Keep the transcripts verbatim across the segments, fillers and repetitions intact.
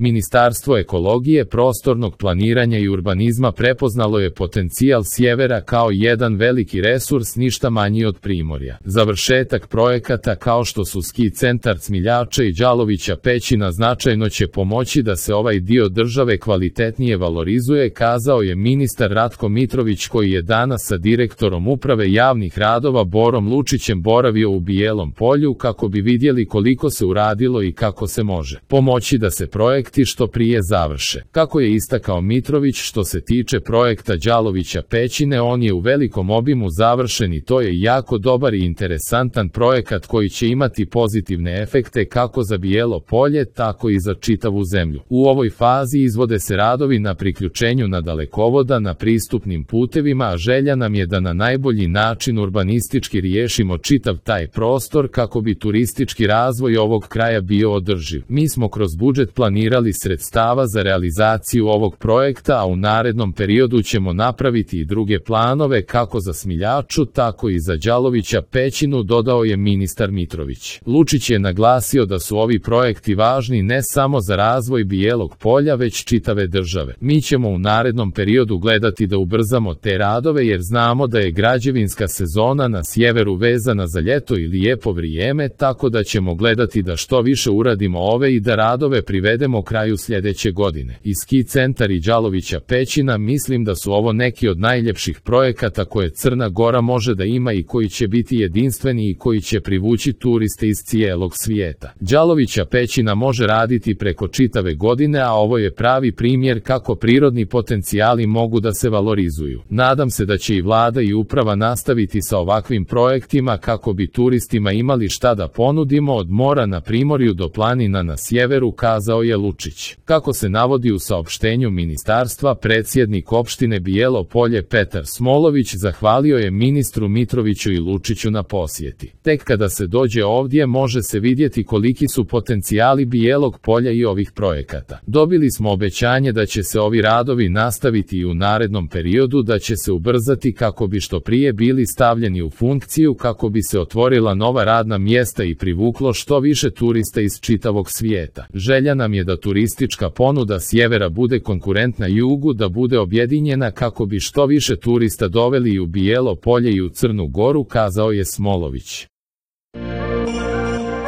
Ministarstvo ekologije, prostornog planiranja i urbanizma prepoznalo je potencijal sjevera kao jedan veliki resurs ništa manji od Primorja. Završetak projekata kao što su ski centar Cmiljača i Đalovića Pećina značajno će pomoći da se ovaj dio države kvalitetnije valorizuje, kazao je ministar Ratko Mitrović koji je danas sa direktorom uprave javnih radova Borom Lučićem boravio u Bijelom Polju kako bi vidjeli koliko se uradilo i kako se može pomoći da se projekti što prije završe. Kako je istakao Mitrović, što se tiče projekta Đalovića Pećine, on je u velikom obimu završen i to je jako dobar i interesantan projekat koji će imati pozitivne efekte kako za Bijelo Polje, tako i za čitavu zemlju. U ovoj fazi izvode se radovi na priključenju na dalekovoda na pristupnim putevima, a želja nam je da na najbolji način urbanistički riješimo čitav taj prostor kako bi turistički razvoj ovog kraja bio održiv. Mi smo kroz budžet planirali sredstava za realizaciju ovog projekta, a u narednom periodu ćemo napraviti i druge planove kako za Smiljaču, tako i za Đalovića Pećinu, dodao je ministar Mitrović. Lučić je naglasio da su ovi projekti važni ne samo za razvoj Bijelog Polja, već čitave države. Mi ćemo u narednom periodu gledati da ubrzamo te radove jer znamo da je građevinska sezona na sjeveru vezana za ljeto i lijepo vrijeme, tako da ćemo gledati da što više uradimo ove i da radove privedemo kraju sljedeće godine. I ski centar i Đalovića Pećina, mislim da su ovo neki od najljepših projekata koje Crna Gora može da ima i koji će biti jedinstveni i koji će privući turiste iz cijelog svijeta. Đalovića Pećina može raditi preko čitave godine, a ovo je pravi primjer kako prirodni potencijali mogu da se valorizuju. Nadam se da će i vlada i uprava nastaviti sa ovakvim projektima kako bi turistima imali šta da ponudimo od mora na Primorju do planina na sjeveru, kazao je Lučić. Kako se navodi u saopštenju ministarstva, predsjednik opštine Bijelo Polje Petar Smolović zahvalio je ministru Mitroviću i Lučiću na posjeti. Tek kada se dođe ovdje može se vidjeti koliki su potencijali Bijelog Polja i ovih projekata. Dobili smo obećanje da će se ovi radovi nastaviti i u narednom periodu, da će se ubrzati kako bi što prije bili stavljeni u funkciju, kako bi se otvorila nova radna mjesta i privuklo što više turista iz čitavog svijeta. Želja nam je da turistička ponuda sjevera bude konkurentna jugu, da bude objedinjena kako bi što više turista doveli i u Bijelo Polje i u Crnu Goru, kazao je Smolović.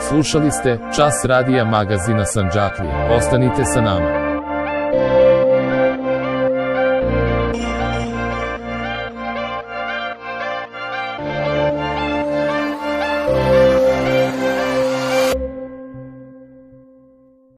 Slušali ste Čas radija magazina Sandžaklija. Ostanite sa nama.